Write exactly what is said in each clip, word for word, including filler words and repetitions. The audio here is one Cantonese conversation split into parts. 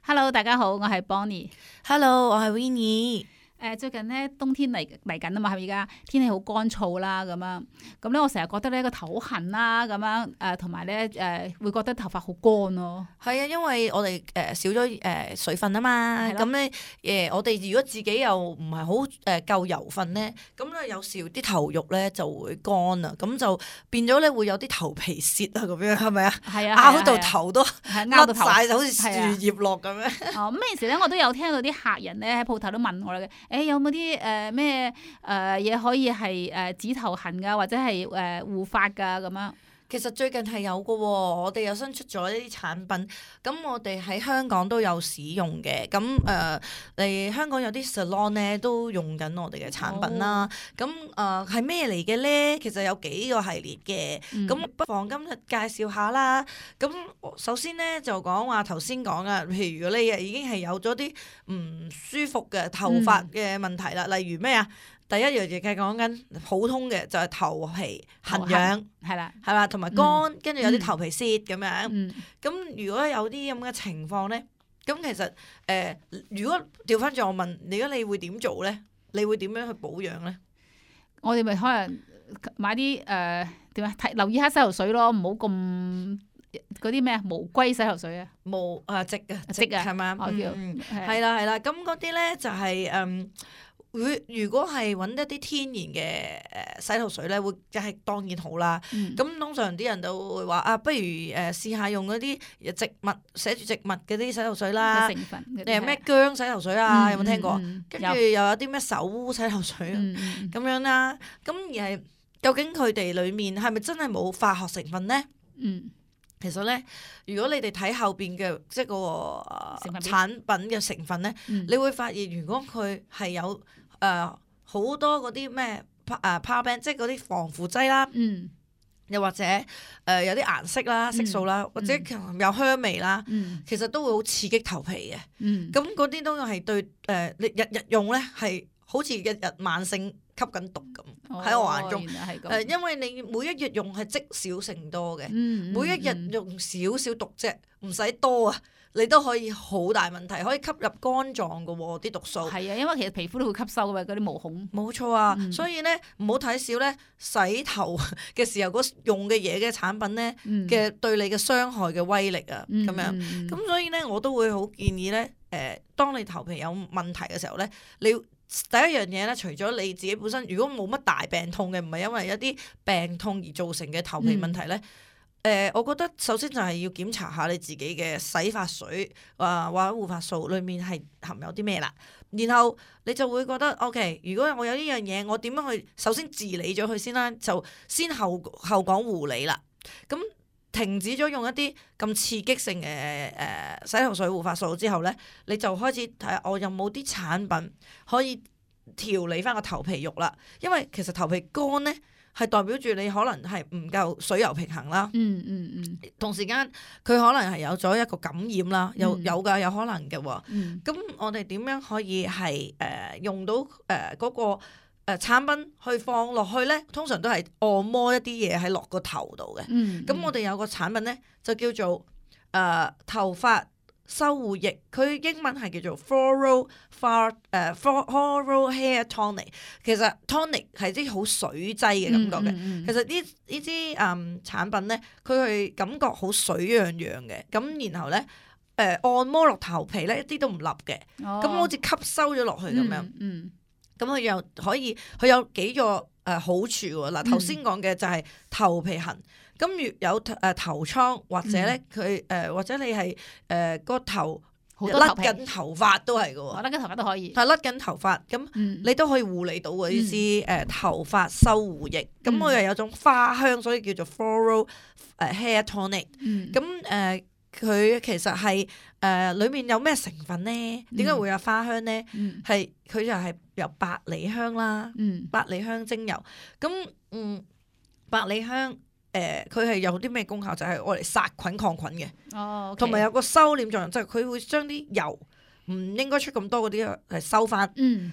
Hello，大家好，我係 Bonnie。Hello，我係 Winnie。誒、呃、最近咧冬天嚟嚟緊啊嘛，係咪而家天氣好乾燥啦咁樣，咁咧我成日覺得咧個頭好痕啦咁樣，誒同埋咧誒會覺得頭髮好乾咯。係啊，因為我哋誒、呃、少咗誒、呃、水分啊嘛，係咯咁咧誒我哋如果自己又唔係好誒夠油分咧，咁咧有時啲頭肉咧就會乾啊，咁就變咗咧會有啲頭皮屑啊咁樣，係咪啊？係啊，拗到頭都係拗到頭甩晒，就好似樹葉落咁樣。哦，咩時咧我都有聽到啲客人咧喺鋪頭都問我嘅，誒、欸、有冇啲誒咩誒嘢可以係誒止頭痕噶，或者係誒護髮噶咁樣？其實最近係有嘅喎，我哋又新出咗一啲產品，咁我哋喺香港都有使用嘅，咁誒嚟香港有啲 salon 咧都用緊我哋嘅產品啦，咁誒係咩嚟嘅咧？其實有幾個系列嘅，咁、嗯、不妨今日介紹下啦。咁首先咧就講話頭先講啊，譬如如果你已經係有咗啲唔舒服嘅頭髮嘅問題啦，嗯、例如咩啊？第一樣嘢係講緊普通嘅就係頭皮痕癢，係啦，係嘛，同埋乾，跟住、嗯、有啲頭皮屑咁樣。咁、嗯、如果有啲咁嘅情況咧，咁其實誒、呃，如果調翻轉我問，如果你會點做咧？你會點樣去保養咧？我哋咪可能買啲誒點啊？睇留意下洗頭水咯，唔好咁嗰啲咩啊無龜洗頭水啊，無啊直啊直啊係嘛？嗯，係啦係啦，咁嗰啲咧就係、是、嗯。會如果係揾一啲天然嘅誒洗頭水咧，會梗係當然好啦。咁、嗯、通常啲人都會話啊，不如誒試下用嗰啲植物寫住植物嘅啲洗頭水啦。成分你係咩薑洗頭水啊？嗯、有冇聽過？跟住、嗯、又有啲咩手污洗頭水啊？咁、嗯、樣啦。咁而係究竟佢哋裡面係咪真係冇化學成分咧？嗯，其實咧，如果你哋睇後邊嘅即係嗰個產品嘅成分咧，嗯、你會發現如果佢係有誒好、呃、多嗰啲咩誒 power band，即係嗰啲防腐劑啦，嗯、又或者誒、呃、有啲顏色啦、色素啦，嗯、或者有香味啦，嗯、其實都會好刺激頭皮嘅。咁嗰啲都係對誒你、呃、日日用咧，係好似日日慢性吸緊毒咁喺、哦、我眼中。誒、呃，因為你每一日用係積少成多嘅，嗯嗯、每一日用少少毒啫，唔使多啊。你都可以好大問題，可以吸入肝臟嘅喎啲毒素。係啊，因為其實皮膚都會吸收嘅嗰啲毛孔。冇錯啊，嗯、所以咧唔好睇少咧洗頭嘅時候嗰用嘅嘢嘅產品咧嘅、嗯、對你嘅傷害嘅威力啊，咁、嗯、樣。咁、嗯、所以咧我都會好建議咧，誒、呃，當你頭皮有問題嘅時候咧，你第一樣嘢咧，除咗你自己本身如果冇乜大病痛嘅，唔係因為一啲病痛而造成嘅頭皮問題咧。嗯誒、呃，我覺得首先就係要檢查下你自己嘅洗髮水啊、呃、或者護髮素裏面係含有啲咩啦，然後你就會覺得 OK。如果我有呢樣嘢，我點樣去首先治理咗佢先啦，就先後後講護理啦。咁停止咗用一啲咁刺激性嘅誒、呃、洗頭水護髮素之後咧，你就開始睇下我有冇啲產品可以調理翻個頭皮肉啦。因為其實頭皮乾咧，係代表住你可能係唔夠水油平衡啦，嗯嗯嗯，同時間佢可能係有咗一個感染啦，嗯、有有㗎有可能嘅喎，咁、嗯、我哋點樣可以係誒、呃、用到誒嗰、呃那個誒、呃、產品去放落去咧？通常都係按摩一啲嘢喺落個頭度嘅，咁、嗯嗯、我哋有個產品咧就叫做誒、呃、頭髮修護液，佢英文係叫做 Floral Far 誒 Floral Hair Tonic。其實 tonic 係啲好水劑嘅感覺嘅。嗯嗯、其實呢呢啲誒產品咧，佢係感覺好水樣樣嘅。咁然後咧誒、呃、按摩落頭皮咧，一啲都唔立嘅。咁、哦、好似吸收咗落去咁樣。咁佢、嗯嗯、又可以，佢有幾個誒、呃、好處喎。嗱頭先講嘅就係頭皮痕。咁如有誒頭瘡或者咧佢誒或者你係誒個頭甩緊頭髮都係嘅喎，甩緊頭髮都可以，係甩緊頭髮咁，嗯、你都可以護理到嘅呢支誒頭髮修護液。咁我又有種花香，所以叫做 Floral 誒 Hair Tonic。咁誒佢其實係誒、呃、裡面有咩成分咧？點解會有花香咧？係佢、嗯、就係由百里香啦，嗯、百里香精油。咁嗯百里香。誒佢係有啲咩功效？就係愛嚟殺菌抗菌嘅，同埋、oh, okay. 有個收斂作用，就係、是、佢會將啲油唔應該出咁多嗰啲係收翻。咁、嗯、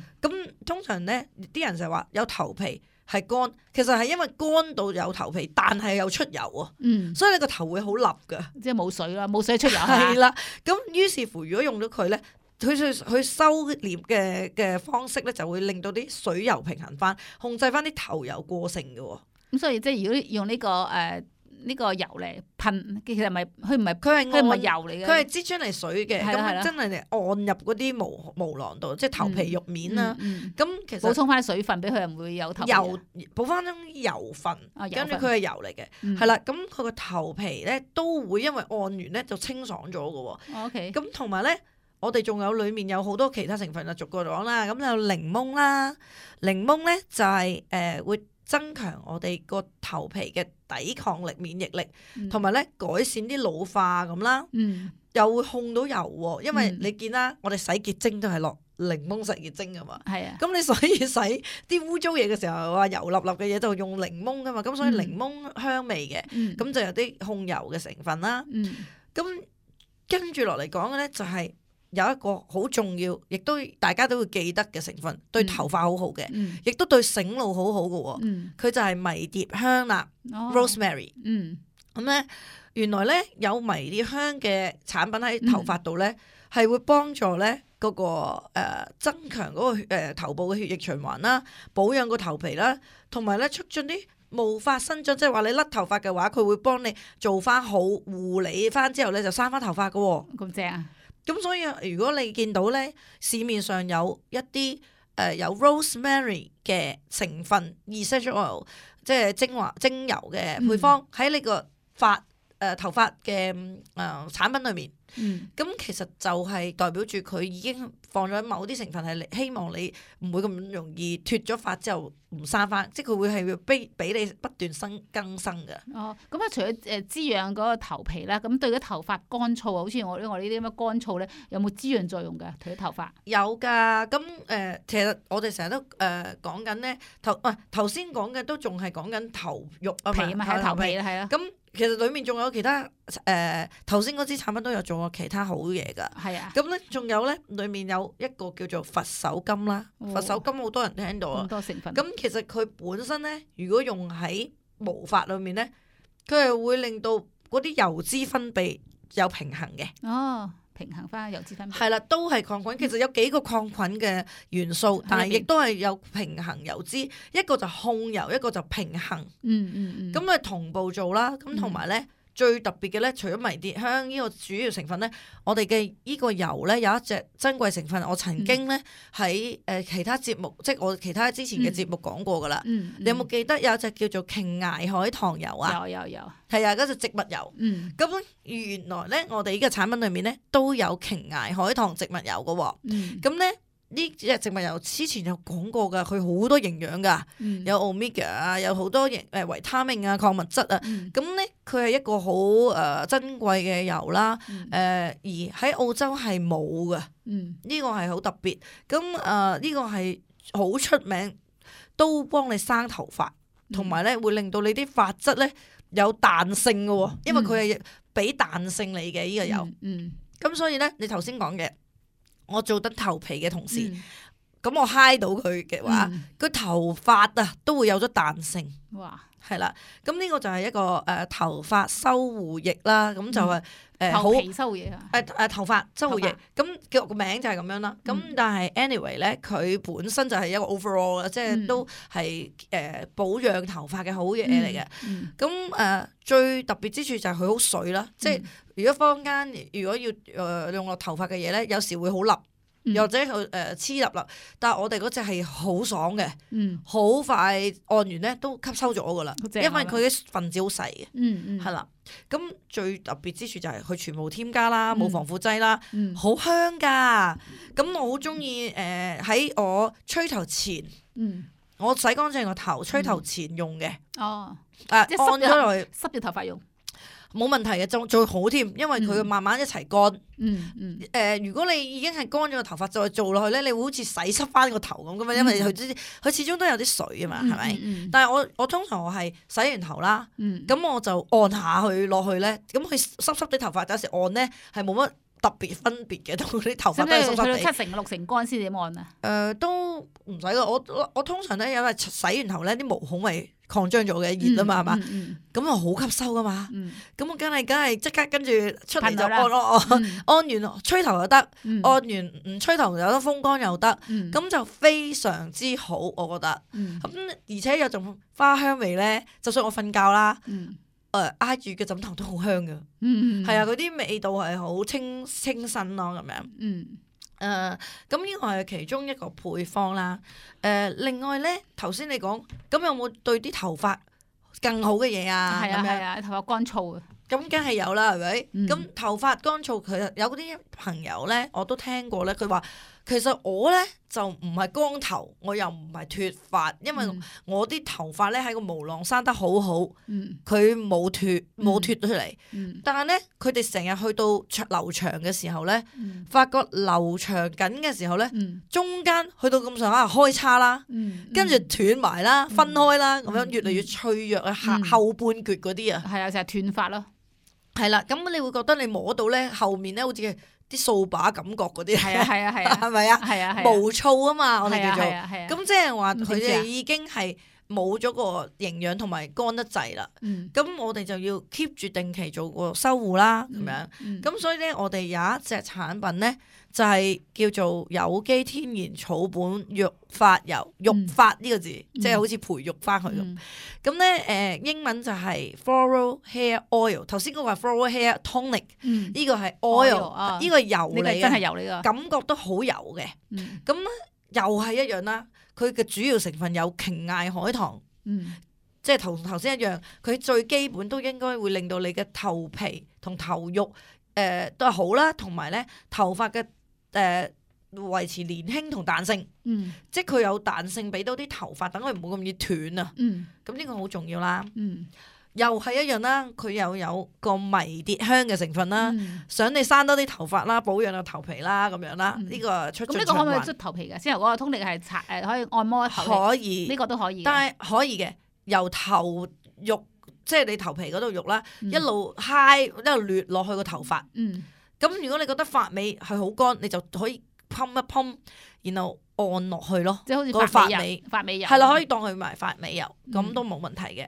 通常咧，啲人就係話有頭皮係乾，其實係因為乾到有頭皮，但係又出油啊，嗯，所以你個頭會好立噶，即係冇水啦，冇水出油係啦。咁於是乎，如果用咗佢咧，佢去去收斂嘅嘅方式咧，就會令到啲水油平衡翻，控制翻啲頭油過剩嘅。咁所以即係如果用呢、這個誒呢、呃這個油嚟噴，其實唔係佢唔係佢係佢唔係油嚟嘅，佢係擠出嚟水嘅，咁真係嚟按入嗰啲毛毛囊度，即係頭皮肉面啦。咁、嗯嗯嗯、其實補充翻水分俾佢，唔會有頭油，補翻啲油分，跟住佢係油嚟嘅，係啦、嗯。咁佢個頭皮咧都會因為按完咧就清爽咗嘅。OK，咁同埋咧，我哋仲有裡面有好多其他成分啊，逐個講啦。咁有檸檬啦，檸檬咧就係、是、誒、呃、會增強我哋個頭皮嘅抵抗力、免疫力，同埋咧改善啲老化咁啦。嗯，又會控到油喎，因為你見啦，嗯、我哋洗潔精都係落檸檬洗潔精噶嘛。係啊，咁你所以洗啲污糟嘢嘅時候，話油粒粒嘅嘢就用檸檬噶嘛。咁所以檸檬香味嘅，咁、嗯、就有啲控油嘅成分啦。嗯，咁跟住落嚟講嘅咧就係、是。有一個好重要，亦都大家都會記得嘅成分，對頭髮好好嘅，嗯、亦都對醒腦好好嘅喎。佢、嗯、就係迷迭香啦、哦、，rosemary。嗯，咁咧原來咧有迷迭香嘅產品喺頭髮度咧，係、嗯、會幫助咧嗰、嗰個、呃、增強嗰、嗰個誒、呃、頭部嘅血液循環啦，保養個頭皮啦，同埋咧促進啲毛髮生長，即係話你甩頭髮嘅話，佢會幫你做翻好護理翻之後咧就生翻頭髮嘅喎。咁正啊！咁所以如果你見到咧市面上有一啲誒、呃、有 rosemary 嘅成分 essential oil， 即係精華精油嘅配方喺呢、嗯、個髮誒、呃、頭髮嘅誒、呃、產品裏面，咁、嗯、其實就係代表住佢已經放咗某啲成分係希望你唔會咁容易脫咗髮之後唔生翻，即係佢會係要俾俾你不斷生更生嘅。哦，咁啊，除咗誒滋養嗰個頭皮啦，咁對啲頭髮乾燥啊，好似我我呢啲咁嘅乾燥咧，有冇滋潤作用嘅？對啲頭髮有㗎。咁誒、呃，其實我哋成日都誒講緊咧頭啊頭先講嘅都仲係講緊頭肉啊嘛，皮嘛係頭皮啦，係啊。咁其實裡面仲有其他誒頭先嗰支產品都有做過其他好嘢㗎。係啊。咁咧仲有咧，裡面有一個叫做佛手柑啦。哦、佛手柑好多人聽到啊。咁多成分。咁其實佢本身咧，如果用喺毛髮裏面咧，佢係會令到嗰啲油脂分泌有平衡嘅。哦，平衡翻油脂分泌。係啦，都係抗菌。其實有幾個抗菌嘅元素，嗯、但係亦都係有平衡油脂。一個就控油，一個就平衡。嗯嗯嗯。咁啊同步做啦。咁同埋咧。嗯最特別嘅咧，除咗迷迭香呢個主要成分咧，我哋嘅呢個油咧有一隻珍貴成分，我曾經咧喺誒其他節目，即係我其他之前嘅節目講過噶啦。嗯嗯、你有冇記得有一隻叫做瓊崖海棠油啊？有有有，係啊，嗰隻植物油。嗯，咁原來咧，我哋呢個產品裏面咧都有瓊崖海棠植物油嘅喎。嗯，咁咧。呢隻植物油之前有講過㗎，佢好多營養㗎，嗯、有 omega 啊，有好多營誒維他命啊、礦物質啊，咁咧佢係一個好誒、呃、珍貴嘅油啦，誒、嗯呃、而喺澳洲係冇㗎，呢、嗯、個係好特別，咁誒呢個係好出名，都幫你生頭髮，同埋咧會令到你啲髮質咧有彈性嘅喎，因為佢係俾彈性你嘅呢、呢個油，咁、嗯嗯、所以咧你頭先講嘅。我做得頭皮嘅同時，咁、嗯、我揩到佢嘅話，佢、嗯、頭髮啊都會有咗彈性。哇，係啦，咁呢個就係一個誒、呃、頭髮修護液啦，咁、嗯、就係誒好頭皮修護液啊，誒誒、呃、頭髮修護液，咁叫個名就係咁樣啦。咁、嗯、但係 anyway 咧，佢本身就係一個 overall 嘅，即係都係誒、呃、保養頭髮嘅好嘢嚟嘅。咁誒、嗯嗯呃、最特別之處就係佢好水啦，即係、嗯。如果坊間如果要誒、呃、用落頭髮嘅嘢咧，有時會好笠，又或者佢誒黐笠笠，但係我哋嗰隻係好爽嘅，好、嗯、快按完咧都吸收咗噶啦，因為佢嘅分子好細嘅，係啦、嗯。咁、嗯、最特別之處就係佢全部添加啦，冇、嗯、防腐劑啦，好、嗯、香噶。咁我好中意誒喺我吹頭前，嗯、我洗乾淨個頭吹頭前用嘅。哦，誒、呃、按咗落去濕嘅頭髮用。冇問題嘅，仲最好添，因為佢慢慢一齊乾。嗯嗯。誒、呃，如果你已經係乾咗個頭髮，再做落去咧，你會好似洗濕翻個頭咁噶嘛，因為佢佢始終都有啲水啊嘛，係咪？嗯嗯、但係我我通常我係洗完頭啦，咁、嗯、我就按下去落去咧，咁佢濕濕啲頭髮有時按咧係冇乜特別分別嘅，同啲頭髮都係濕濕使唔使去到地。七成六成乾先點按啊？誒、呃、都唔使噶，我我我通常咧，因為洗完頭咧啲毛孔咪擴張咗嘅熱啊嘛，係嘛、嗯？咁啊好吸收噶嘛，嗯咁我梗係梗係即刻跟住出嚟就噴咗啦按咯，按嗯按完吹頭又得，嗯按完唔吹頭有得風乾又得，嗯咁就非常之好，我覺得。嗯咁而且有種花香味咧，就算我瞓覺啦，嗯誒挨住嘅枕頭都好香噶，嗯係啊，嗰啲味道係好清清新咯，咁樣。嗯誒，咁呢個係其中一個配方啦。誒、另外咧，頭先你講，咁有冇對啲頭髮更好嘅嘢啊？係啊咁樣係啊，頭髮乾燥啊。咁梗係有啦，係咪？咁、嗯頭髮乾燥，佢有啲朋友咧，我都聽過咧，佢話其實我咧就唔係光頭，我又唔係脫髮，因為我啲頭髮咧喺個毛囊生得好好，嗯佢冇脫冇脫出嚟。嗯但係咧，佢哋成日去到長留長嘅時候咧，嗯發覺留長緊嘅時候咧，嗯中間去到咁上下開叉啦，嗯，跟住斷埋啦，分開啦，咁樣嗯越嚟越脆弱啊，嗯後後半橛嗰啲啊。係啊，成日斷髮咯。係啦，咁你會覺得你摸到咧後面咧好似啲掃把感覺嗰啲，係啊係啊係啊係咪啊？係啊係啊，毛躁啊嘛，我哋叫做。係啊係啊。咁即係話佢咁點知啊哋已經係冇咗個營養同埋乾得滯啦。嗯咁我哋就要 keep 住定期做個修護啦，咁樣。嗯咁所以咧，我哋有一隻產品咧，就係、叫做有機天然草本育髮油，育髮呢個字，即係好似培育翻佢咁。嗯咁咧，誒英文就係 Floral Hair Oil。頭先嗰個係 Floral Hair Tonic，嗯，呢個係 Oil， oil，啊呢個係油呢個嚟嘅，真係油呢個。感覺都好油嘅。嗯咁咧又係一樣啦，佢嘅主要成分有瓊艾海棠，嗯即係同頭先一樣，佢最基本都應該會令到你嘅頭皮同頭肉誒、呃、都係好啦，同埋咧頭髮嘅誒維持年輕同彈性，嗯即係佢有彈性俾到啲頭髮，等佢唔好咁易斷啊。嗯咁呢個好重要啦。嗯又係一樣啦，佢又有個迷迭香嘅成分啦，嗯。想你生多啲頭髮啦，保養個頭皮啦，咁樣啦，呢、嗯個出咁呢個可唔可以盡循環捽頭皮㗎？先頭嗰個通力係擦誒，可以按摩頭皮，可以，呢個都可以嘅。但係可以嘅，由頭肉即係你頭皮嗰度肉啦，嗯一路揩一路掠落去個頭髮。嗯咁如果你覺得髮尾係好乾，你就可以噴一噴，然後按落去咯。即係好似個髮尾髮尾油，髮尾油係啦，可以當佢埋髮尾油，咁嗯都冇問題嘅。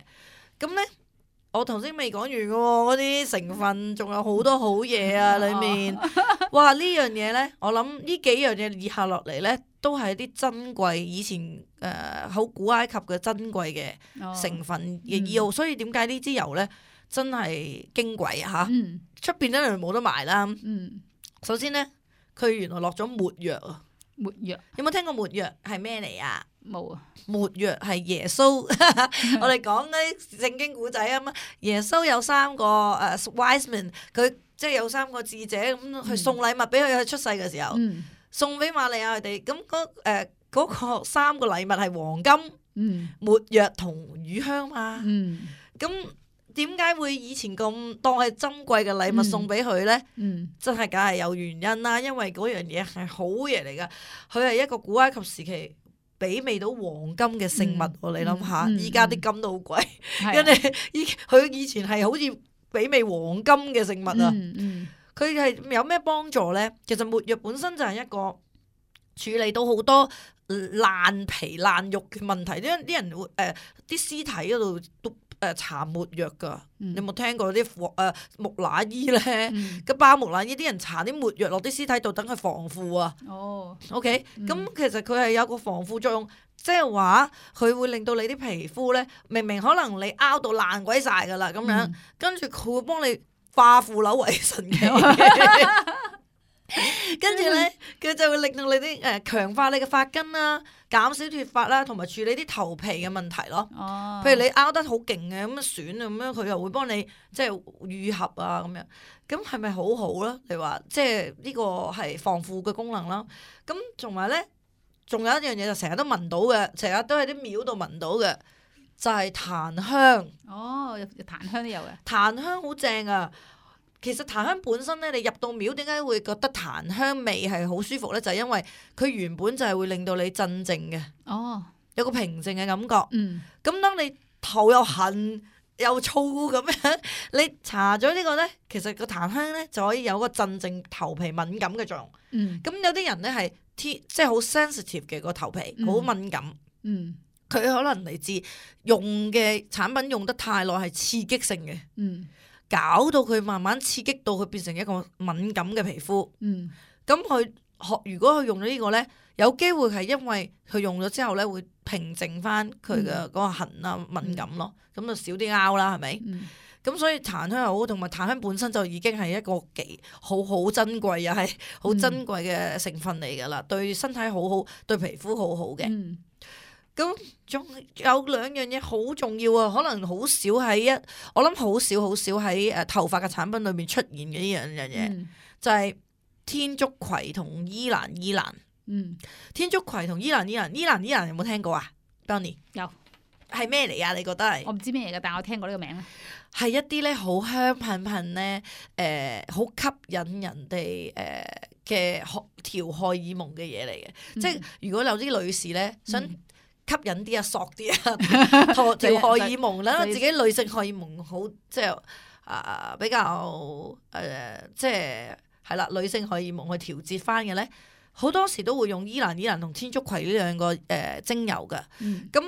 咁咧，我頭先未講完嘅喎，嗰啲成分仲有好多好嘢啊，裡面。哇！呢樣嘢咧，我諗呢幾樣嘢以下落嚟咧，都係啲珍貴，以前誒好、古埃及嘅珍貴嘅哦成分嘅藥，所以點解呢支油咧真係矜貴啊嚇？嗯出邊真係冇得賣啦。嗯，首先咧，佢原來落咗沒藥啊！沒藥有冇聽過沒藥係咩嚟啊？冇啊。沒藥係耶穌，我哋講嗰啲聖經古仔啊嘛。耶穌有三個誒、uh, wise men，佢即係有三個智者咁去送禮物俾佢，佢出世嘅時候，嗯送俾瑪利亞佢哋。咁嗰誒嗰個三個禮物係黃金、嗯沒藥同乳香嘛。嗯咁點解會以前咁當係珍貴嘅禮物送俾佢咧？嗯真係梗係有原因啦，因為嗰樣嘢係好嘢嚟噶，佢係一個古埃及時期媲美到黃金嘅聖物喎。嗯你諗下，嗯依家啲金都好貴，係啊跟住依佢以前係好似媲美黃金嘅聖物啊！嗯嗯佢係、有咩幫助咧？其實沒藥本身就係一個處理到好多爛皮爛肉嘅問題，因為啲人會誒啲、呃、屍體嗰度都誒搽沒藥噶。嗯你有冇聽過啲誒、呃、木乃伊咧？嗯個包木乃伊啲人搽啲沒藥落啲屍體度，等佢防腐啊。哦 OK，咁、嗯其實佢係有個防腐作用，即係話佢會令到你啲皮膚咧，明明可能你拗到爛鬼晒噶啦，咁樣，嗯跟住佢會幫你化腐朽為神奇。跟住咧，佢就會令到你啲誒強化你嘅髮根啦，減少脫髮啦，同埋處理啲頭皮嘅問題咯。哦，譬如你拗得好勁嘅咁樣損啊咁樣，佢又會幫你即係愈合啊咁樣。咁係咪好好咧？你話即係呢個係防腐嘅功能啦。咁同埋咧，仲有一樣嘢就成日都聞到嘅，成日都喺啲廟度聞到嘅，就係檀香。哦，有檀香都有嘅。檀香好正啊！其實檀香本身咧，你入到廟點解會覺得檀香味係好舒服咧？就係因為佢原本就係會令到你鎮靜嘅，哦，有個平靜嘅感覺。嗯咁當你頭又痕又燥咁樣。你搽咗呢個咧，其實個檀香咧就可以有個鎮靜頭皮敏感嘅作用。嗯，咁有啲人咧係天即係好 sensitive 嘅個頭皮，好、嗯、敏感。嗯，佢可能嚟自用嘅產品用得太耐係刺激性嘅。嗯，搞到佢慢慢刺激到佢變成一個敏感嘅皮膚。嗯，咁佢學如果佢用咗呢個咧，有機會係因為佢用咗之後咧會平靜翻佢嘅嗰個痕啊、嗯、敏感咯，咁、嗯、就少啲拗啦，係咪？咁、嗯、所以檀香又好，同埋檀香本身就已經係一個幾好好珍貴又係好珍貴嘅成分嚟噶啦，嗯、對身體好好，對皮膚好好嘅。咁仲、嗯、有兩樣嘢好重要啊，可能好少喺一，我諗好少好少喺誒頭髮嘅產品裏面出現嘅呢樣樣嘢，嗯、就係天竺葵同依蘭依蘭。嗯，天竺葵同依蘭依蘭，依蘭依蘭有冇聽過啊 Bonnie 有，係咩嚟啊？你覺得係？我唔知咩嚟嘅，但係我聽過呢個名咧。係一啲咧好香噴噴咧，誒、呃，好吸引人哋誒嘅調荷爾蒙嘅嘢嚟嘅。嗯、即係如果有啲女士咧想吸引啲啊，索啲啊，調荷爾蒙啦，自己女性荷爾蒙好，即係啊、呃、比較誒、呃，即係係啦，女性荷爾蒙去調節翻嘅咧。好多時都會用依蘭依蘭同天竺葵呢兩個誒、呃、精油嘅，咁誒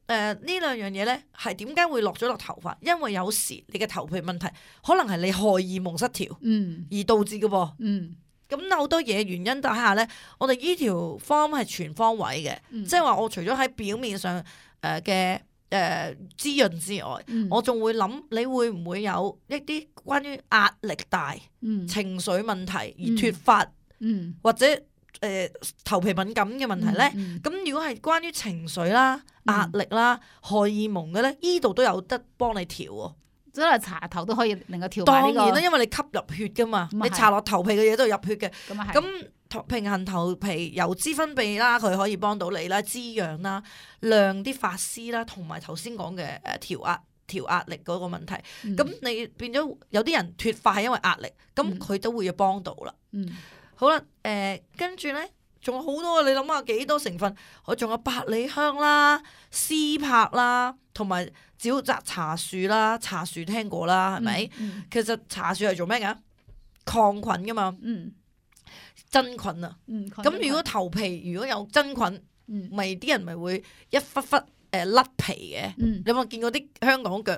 呢兩樣嘢咧係點解會落咗落頭髮？因為有時你嘅頭皮問題可能係你荷爾蒙失調，嗯，而導致嘅噃，嗯，咁好多嘢原因底下咧，我哋呢條方係全方位嘅，嗯、即係話我除咗喺表面上誒嘅誒滋潤之外，嗯、我仲會諗你會唔會有一啲關於壓力大、嗯、情緒問題而脫髮，嗯，嗯或者誒、呃、頭皮敏感嘅問題咧，咁、嗯嗯、如果係關於情緒啦、壓力啦、嗯、荷爾蒙嘅咧，呢度都有得幫你調喎。即係搽頭都可以令佢調、這個。當然啦，因為你吸入血噶嘛，嗯、你搽落頭皮嘅嘢都係入血嘅。咁咁平衡頭皮油脂分泌啦，佢可以幫到你啦，滋養啦，亮啲髮絲啦，同埋頭先講嘅誒調壓調壓力嗰個問題。咁、嗯、你變咗有啲人脫髮係因為壓力，咁佢都會要幫到啦。嗯。嗯好啦，誒、呃，跟住咧，仲有好多，你諗下幾多成分？我仲有百里香啦、絲柏啦，同埋沼澤茶樹啦。茶樹聽過啦，係咪？嗯嗯、其實茶樹係做咩噶？抗菌噶嘛，嗯、真菌啊。咁、嗯、如果頭皮如果有真菌，咪啲、嗯、人咪會一忽忽誒甩皮嘅。嗯、你有冇見過啲香港腳？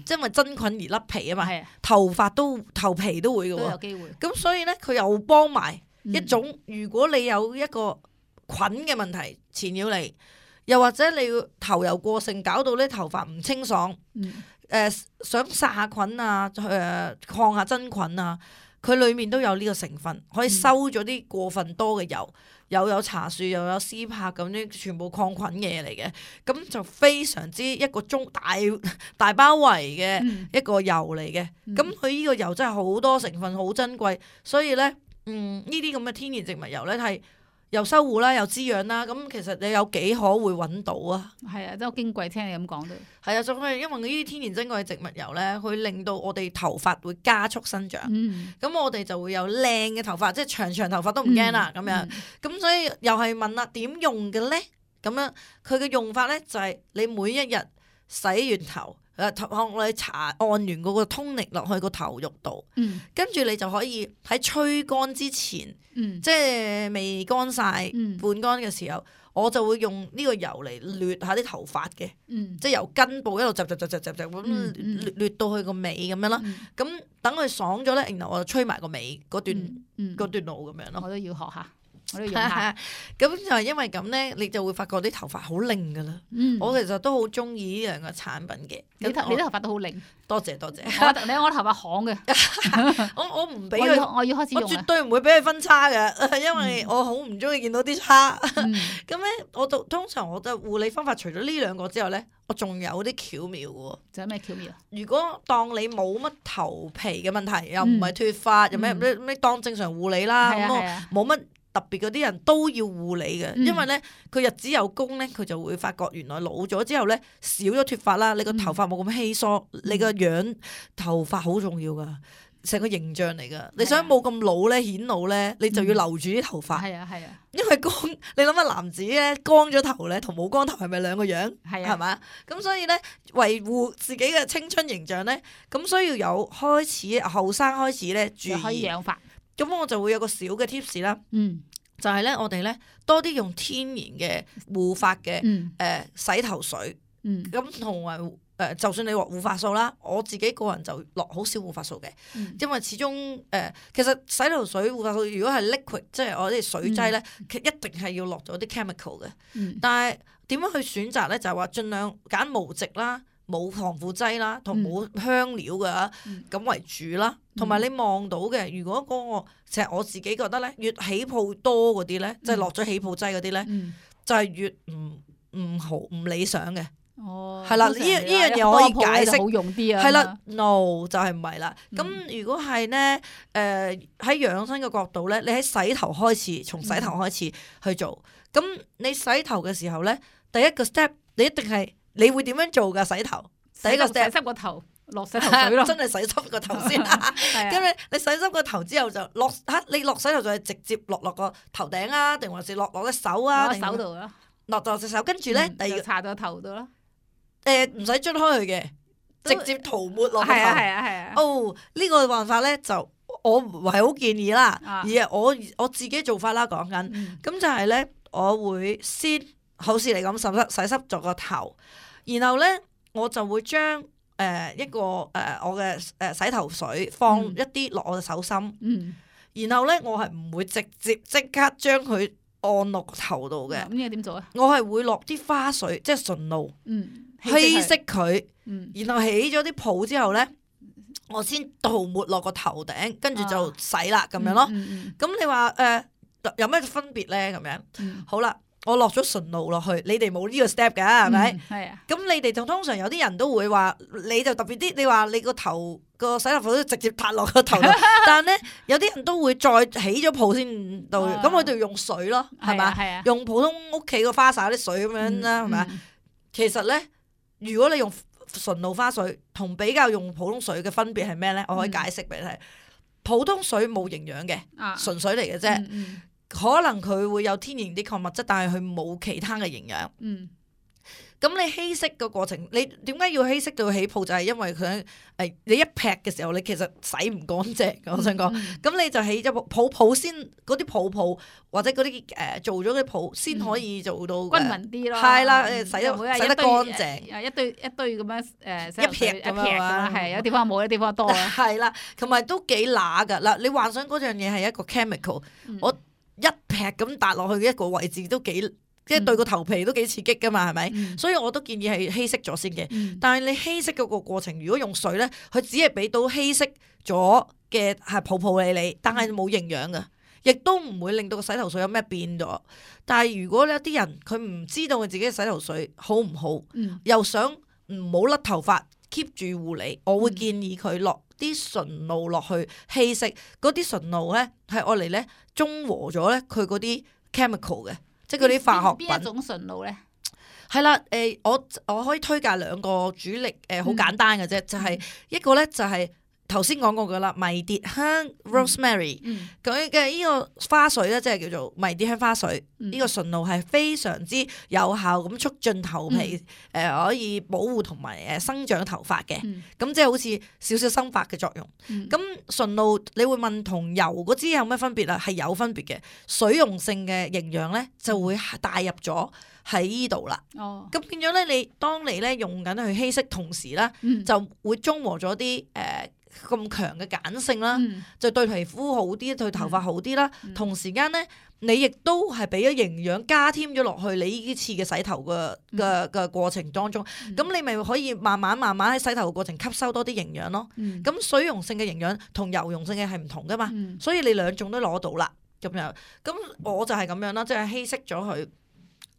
即係因為真菌而甩皮啊嘛，嗯、頭髮都頭皮都會嘅喎，都有機會。咁所以咧，佢又幫埋一種，嗯、如果你有一個菌嘅問題纏繞你，又或者你頭油過盛，搞到啲頭髮唔清爽，誒、嗯呃、想殺下菌啊，誒、呃、抗下真菌啊，佢裡面都有呢個成分，可以收咗啲過分多嘅油。嗯又有茶樹又有絲柏咁啲全部抗菌嘢嚟嘅，咁就非常之一個中大大包圍嘅一個油嚟嘅。咁佢呢個油真係好多成分，好珍貴，所以咧，嗯，呢啲咁嘅天然植物油咧係又修護啦，又滋養啦。咁其實你有幾可會揾到啊？係啊，真係矜貴，聽你咁講都係啊。仲係因為呢啲天然珍貴嘅植物油咧，佢令到我哋頭髮會加速生長。咁、嗯、我哋就會有靚嘅頭髮，即係長長頭髮都唔驚啦。咁、嗯、樣，咁、嗯、所以又係問啦，點用嘅咧？咁樣佢嘅用法咧就係、是、你每一日洗完頭。誒頭殼我哋搽按完嗰個通力落去個頭肉度，嗯、跟住你就可以喺吹乾之前，嗯、即係未乾晒、嗯、半乾嘅時候，我就會用呢個油嚟掠下啲頭髮嘅，嗯、即係由根部一路集集集集集集咁掠掠到去個尾咁樣啦。咁等佢爽咗咧，然後我就吹埋個尾嗰段嗰、嗯嗯、段路咁樣咯。我都要學下。咁就係因為咁咧，你就會發覺啲頭髮好靚噶啦。嗯、我其實都好中意呢兩個產品嘅。你頭你啲頭髮都好靚，多謝多謝。我你我頭髮行嘅，我我唔俾佢，我要開始用。我絕對唔會俾佢分叉嘅，因為我好唔中意見到啲叉。咁咧、嗯，我就通常我嘅護理方法除咗呢兩個之後咧，我仲有啲巧妙嘅。仲有咩巧妙啊？如果當你冇乜頭皮嘅問題，又唔係脫髮，又咩咩咩當正常護理啦，咁我冇乜。特別嗰啲人都要護理嘅，嗯、因為咧佢日子有功咧，佢就會發覺原來老咗之後咧少咗脫髮啦，你個頭髮冇咁稀疏，嗯、你個樣頭髮好重要噶，成個形象嚟噶。你想冇咁老咧顯老咧，你就要留住啲頭髮。係啊係啊，因為光你諗下男子咧光咗頭咧同冇光頭係咪兩個樣？係啊，係嘛？咁所以咧維護自己嘅青春形象咧，咁需要有開始後生開始咧注就可以意。養髮。咁我就會有個小嘅 tips 啦，嗯就係咧我哋咧多啲用天然嘅護髮嘅嗯誒洗頭水。嗯咁同埋誒，就算你話護髮素啦，我自己個人就落好少護髮素嘅，嗯因為始終誒、呃，其實洗頭水、護髮素如果係 liquid，即係我啲水劑咧，其實一定係要落咗啲 chemical 嘅。嗯但係點樣去選擇咧？就係話盡量揀無植啦、冇防腐劑啦，同冇香料嘅咁為主啦。同埋你望到嘅，如果嗰、個其實我自己覺得咧，越起泡多嗰啲咧，即係落咗起泡劑嗰啲咧，嗯就係越唔唔好唔理想嘅。哦，係啦呢呢樣嘢我可以解釋好用啲啊。係啦，no 就係唔係啦。咁、嗯如果係咧，誒喺養生嘅角度咧，你喺洗頭開始，從洗頭開始去做。咁、你洗頭嘅時候咧，第一個 step 你一定係你會點樣做㗎？洗頭第一個洗 step 濕個頭，落洗頭水咯。真係洗濕個頭先啦。係啊跟住你洗濕個頭之後就落嚇，你落洗頭就係直接落落個頭頂啊，定還是落落隻手啊？攞定手度咯。落落隻手，跟住咧嗯第二個就搽到頭度咯。誒唔使捽開佢嘅，都直接塗抹落個頭。係啊係啊係啊。哦，呢、個辦法咧就我唔係好建議啦，啊而係我我自己做法啦，講緊嗯咁就係咧，我會先好似你咁洗濕洗濕咗個頭，然後咧我就會將誒、呃、一個誒、呃、我嘅誒、呃、洗頭水放嗯一啲落我嘅手心，嗯。然後咧我係唔會直接即刻將佢按落個頭度嘅，咁應該點做啊？我係會落啲花水，即係純露嗯，稀佢。釋佢。嗯然後起咗啲泡之後咧，我先塗抹落個頭頂，跟住就洗啦咁樣咯。嗯嗯咁你話誒、呃、有咩分別咧？咁樣嗯好啦，我落咗純露落去，你哋冇呢個 step 㗎係咪？嗯係啊。咁你哋就通常有啲人都會話，你就特別啲，你話你個頭個洗頭水都直接拍落個頭度，但係咧有啲人都會再起咗泡先到，啊咁我哋用水咯，係嘛？係啊。用普通屋企個花灑啲水咁樣啦，係咪？嗯其實咧，如果你用純露花水同比較用普通水嘅分別係咩咧？我可以解釋俾你睇。普通水冇營養嘅，啊純水嚟嘅啫。嗯嗯可能佢會有天然啲礦物質，但係佢冇其他嘅營養。嗯咁你稀釋個過程，你點解要稀釋到起泡？就係因為佢誒你一劈嘅時候，你其實洗唔乾淨。我想講，嗯咁你就起咗泡泡泡先，嗰啲泡泡或者嗰啲誒做咗啲泡先可以做到均勻啲咯。係啦嗯誒洗得每日洗得一堆乾淨誒一堆一堆咁樣誒洗一頭水劈咁樣一劈咁啊樣，係有地方冇，有地方多啊。係啦，同埋都幾乸噶嗱。你幻想嗰樣嘢係一個 chemical，、嗯我一劈咁搭落去嘅一個位置都幾，即係對個頭皮都幾刺激噶嘛，係咪？嗯所以我都建議係稀釋咗先嘅。嗯但係你稀釋嗰個過程，如果用水咧，佢只係俾到稀釋咗嘅係泡泡你你，但係冇營養嘅，亦都唔會令到個洗頭水有咩變咗。但係如果有啲人佢唔知道佢自己嘅洗頭水好唔好，嗯又想唔好甩頭髮 keep 住護理，我會建議佢落啲純露落去稀釋。嗰啲純露咧係愛嚟咧中和咗咧佢嗰啲 chemical 嘅，即係嗰啲化學品。邊一種純露咧？係啦，誒、我我可以推介兩個主力，誒、好簡單嘅啫，就係、一個咧就係頭先講過噶啦，迷迭香 rosemary，嗯佢嘅呢個花水咧，即係叫做迷迭香花水，呢、嗯個純露係非常之有效咁促進頭皮，誒、嗯可以保護同埋誒生長頭髮嘅，咁、嗯即係好似少少生髮嘅作用。嗯咁純露你會問同油嗰支有咩分別啊？係有分別嘅，水溶性嘅營養咧就會帶入咗喺呢度啦。哦咁變咗咧，你當你咧用緊去稀釋，同時咧嗯就會中和咗啲誒咁強嘅鹼性啦，嗯就對皮膚好啲，對頭髮好啲啦。嗯同時間咧，你亦都係俾咗營養加添咗落去你呢次嘅洗頭嘅嘅嘅過程當中，咁、嗯你咪可以慢慢慢慢喺洗頭嘅過程吸收多啲營養咯。嗯咁水溶性嘅營養同油溶性嘅係唔同噶嘛，嗯所以你兩種都攞到啦。咁樣，咁我就係咁樣啦，即係稀釋咗佢，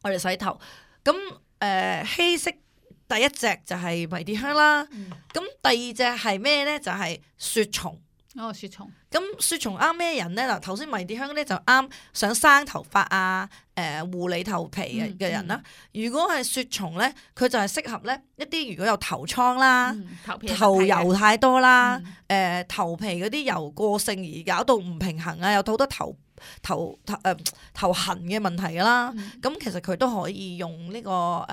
我哋洗頭。咁誒、呃、稀釋第一隻就係迷迭香啦，嗯咁第二隻係咩咧？就係、雪松。哦，雪蟲。咁雪蟲啱咩人咧？嗱，頭先迷迭香咧就啱想生頭髮啊、誒、呃、護理頭皮嘅嘅人啦。嗯嗯、如果係雪蟲咧，佢就係適合咧一啲如果有頭瘡啦、嗯、頭皮頭油太多啦、誒、嗯呃、頭皮嗰啲油過性而搞到唔平衡啊，有好多頭頭頭誒、呃、頭痕嘅問題噶啦。咁、嗯、其實佢都可以用呢個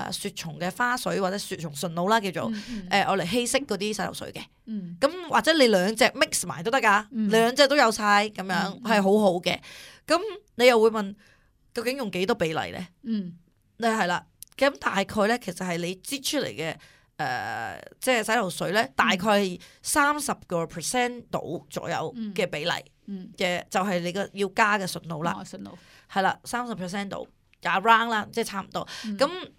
誒雪蟲嘅花水或者雪蟲純露啦，叫做誒我嚟稀釋嗰啲洗頭水嘅。咁、嗯、或者你兩隻 mix 埋都得噶，嗯、兩隻都有晒咁樣係、嗯、好好嘅。咁你又會問究竟用幾多比例咧？嗯，你係啦。咁大概咧，其實係你擠出嚟嘅誒，即係洗頭水咧，嗯、大概係三十個 percent 度左右嘅比例嘅，嗯嗯、就係你個要加嘅純露啦。純露係啦，三十 percent 度加 round 啦，即係差唔多。咁、嗯、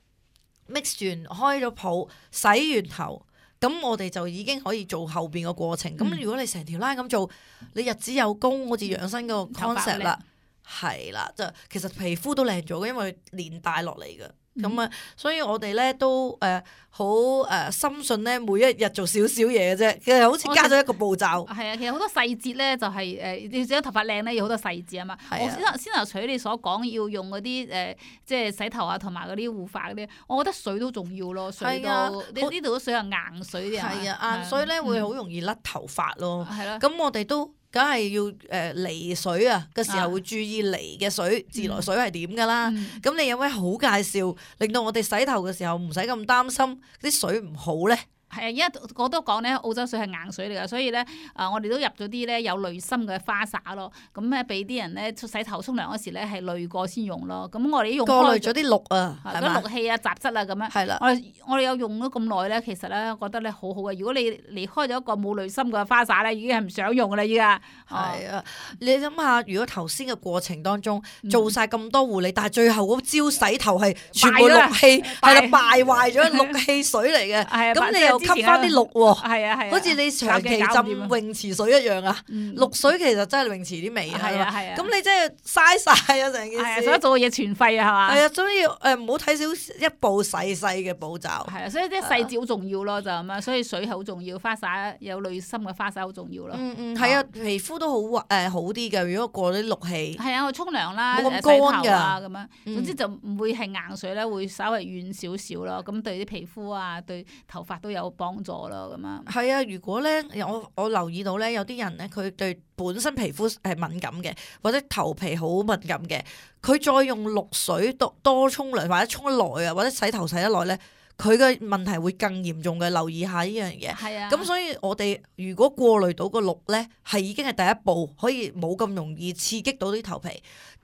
mix 完開咗泡，洗完頭。咁我哋就已經可以做後邊個過程。咁、嗯、如果你成條 line 咁做，你日子有功，好似養生個 concept 啦，係啦，就其實皮膚都靚咗嘅，因為連帶落嚟嘅。咁啊、嗯，所以我哋咧都誒好誒深信咧，每一日做少少嘢嘅啫，其實好似加咗一個步驟。係啊，其實好多細節咧，就係誒你想頭髮靚咧，要好多細節啊嘛。我先頭先頭除咗你所講要用嗰啲誒，即係洗頭啊，同埋嗰啲護髮嗰啲，我覺得水都重要咯。水都你呢度啲水係硬水啲啊。係啊，硬水咧會好容易甩頭髮咯。係咯。咁我哋都。梗係要誒離水啊嘅時候會注意離嘅水、啊、自來水係點㗎啦。咁、嗯、你有咩好介紹，令到我哋洗頭嘅時候唔使咁擔心啲水唔好咧？係啊，因為我都講咧，澳洲水係硬水嚟㗎，所以咧，啊，我哋都入咗啲咧有濾芯嘅花灑咯。咁咧，俾啲人咧洗頭沖涼嗰時咧係濾過先用咯。咁我哋用過濾咗啲氯啊，係嘛？氯氣啊、雜質啊咁樣。係啦。我哋我哋有用咗咁耐咧，其實咧覺得咧好好嘅。如果你離開咗一個冇濾芯嘅花灑咧，已經係唔想用㗎啦，依家。係啊，你諗下，如果頭先嘅過程當中做晒咁多護理，但係最後嗰招洗頭係全部氯氣，係啦，敗壞咗氯氣水嚟嘅。係啊。咁你又吸翻啲氯喎。係啊係啊。好似你長期浸泳池水一樣啊。氯水其實真係泳池啲味啊。係啊係啊。咁你真係嘥晒啊成件事。係啊，所以做嘅嘢全廢啊係嘛。係啊，所以誒唔好睇少一步細細嘅步驟。係啊，所以啲細節好重要咯，就咁啊。所以水係好重要，花灑有濾芯嘅花灑好重要咯。嗯嗯，係啊，皮膚都好誒好啲嘅。如果過啲氯氣。係啊，我沖涼啦，冇咁乾㗎咁樣。總之就唔會係硬水咧，會稍微軟少少咯。咁對啲皮膚啊，對頭髮都有幫助咯。咁啊。係啊，如果咧，我我留意到咧，有啲人咧，佢對本身皮膚係敏感嘅，或者頭皮好敏感嘅，佢再用氯水多多沖涼或者沖得耐啊，或者洗頭洗得耐咧，佢嘅問題會更嚴重嘅。留意下呢樣嘢。係啊。咁所以我哋如果過濾到個氯咧，係已經係第一步，可以冇咁容易刺激到啲頭皮。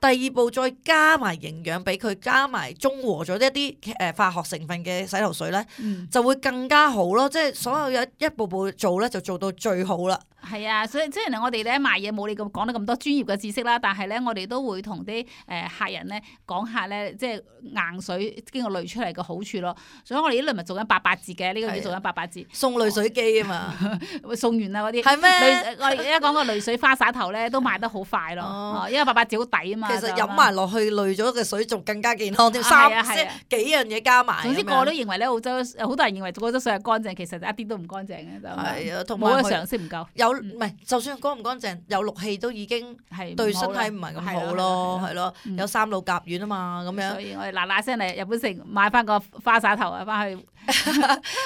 第二步再加埋營養俾佢，加埋中和咗一啲誒化學成分嘅洗頭水咧，嗯、就會更加好咯。即係所有一一步步做咧，就做到最好啦。係啊，所以雖然我哋咧賣嘢冇你咁講得咁多專業嘅知識啦，但係咧我哋都會同啲誒客人咧講下咧，即係硬水經過濾出嚟嘅好處咯。所以我哋呢輪咪做緊八八折嘅，呢、這個要做緊八八折，送濾水機啊嘛，會送完啦嗰啲。係咩？我哋而家講個濾水花灑頭咧都賣得好快咯，哦、因為八八折好抵啊嘛。其實飲埋落去濾咗嘅水仲更加健康添，三即係幾樣嘢加埋。總之個個都認為咧澳洲好多人認為澳洲水係乾淨，其實一啲都唔乾淨嘅就係啊，同埋冇個常識唔夠。有唔係就算乾唔乾淨，有氯氣都已經對身體唔係咁好咯，係咯，有三氯甲烷啊嘛咁樣。所以我哋嗱嗱聲嚟日本城買翻個花灑頭啊，翻去。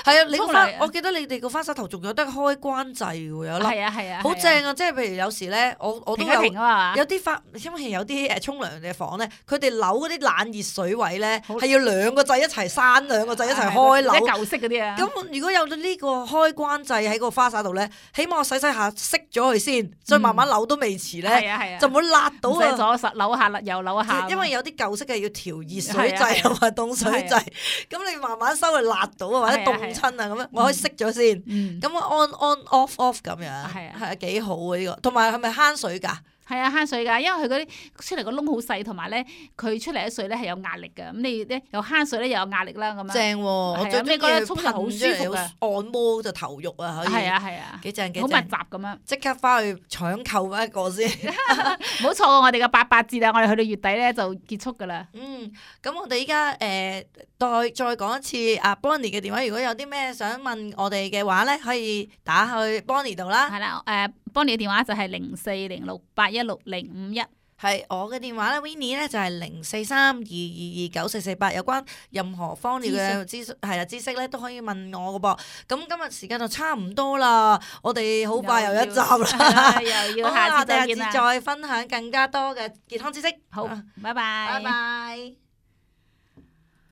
係啊，你個花，我記得你哋個花灑頭仲有得開關掣喎，有粒。係啊係啊。好正啊！即係譬如有時咧，我我都有有啲花，因為有啲誒沖涼嘅房咧，佢哋扭嗰啲冷熱水位咧，係要兩個掣一齊閂，兩個掣一齊開扭。即係舊式嗰啲啊。咁如果有咗呢個開關掣喺個花灑度咧，起碼我洗洗下熄咗佢先，再慢慢扭都未遲咧，就唔好辣到啊！唔使左實扭下又扭下。因為有啲舊式嘅要調熱水掣同埋凍水掣，咁你慢慢收佢辣到啊，或者凍親啊咁樣，我可以熄咗先。咁我 on on off off 咁樣，係啊，係啊，幾好啊呢個。同埋係咪慳水㗎？係啊，慳水㗎，因為佢嗰啲出嚟個窿好細，同埋咧佢出嚟啲水咧係有壓力㗎。咁你咧又慳水咧又有壓力啦，咁樣正喎。我最中意沖涼好舒服啊，按摩就頭肉啊，可以。係啊係啊，幾正幾正。好密集咁樣。即刻翻去搶購翻一個先。唔好錯過我哋嘅八八折啊！我哋去到月底咧就結束㗎啦。嗯，咁我哋依家誒再再講一次啊 Bonnie 嘅電話，如果有啲咩想問我哋嘅話咧，可以打去 Bonnie 度啦。係啦，誒。幫你嘅電話就係零四零六八一六零五一。係我嘅電話咧 Winnie 咧就係零四三二二二九四四八，有關任何方面嘅知識係啊知識咧都可以問我嘅噃。咁今日時間就差唔多啦，我哋好快又一集啦，又要下次再見啦。我哋下次再分享更加多嘅健康知識。好，拜拜。拜拜。